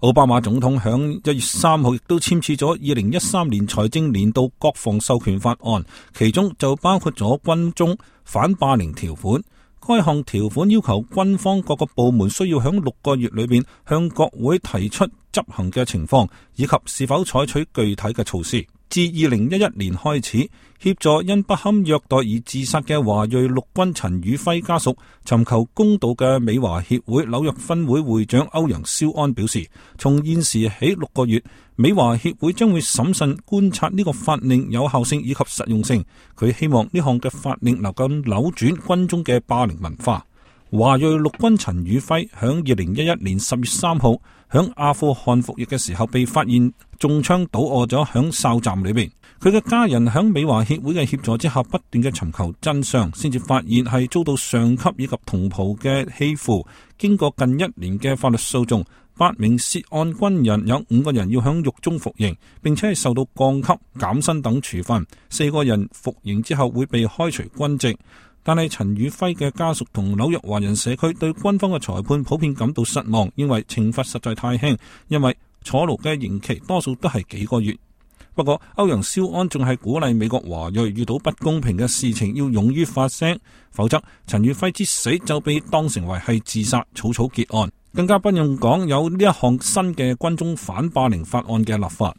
奧巴馬總統響1月3號亦都簽署咗2013年財政年度國防授權法案，其中就包括咗軍中反霸凌條款。該項條款要求軍方各個部門需要響6個月裏邊向國會提出執行嘅情況，以及是否採取具體嘅措施。自2011年開始，協助因不堪虐待而自殺嘅華裔陸軍陳宇輝家屬尋求公道嘅美華協會紐約分會會長歐陽肖安表示，從現時起6個月，美華協會將會審慎觀察呢個法令有效性以及實用性。佢希望呢項嘅法令能夠扭轉軍中嘅霸凌文化。華裔陸軍陳宇輝響2011年10月3號響阿富汗服役嘅時候被發現中槍倒臥咗響哨站裏邊，佢嘅家人響美華協會嘅協助之下不斷嘅尋求真相，先至發現係遭到上級以及同袍嘅欺負。經過近1年嘅法律訴訟，8名涉案軍人有5個人要響獄中服刑，並且係受到降級、減薪等處分，4個人服刑之後會被開除軍籍。但係陳宇輝嘅家屬同紐約華人社區對軍方嘅裁判普遍感到失望，認為懲罰實在太輕，因為坐牢嘅刑期多數都係幾個月。不過歐陽肖安仲係鼓勵美國華裔遇到不公平嘅事情要勇於發聲，否則陳宇輝之死就被當成為係自殺，草草結案，更加不用講有呢一項新嘅軍中反霸凌法案嘅立法。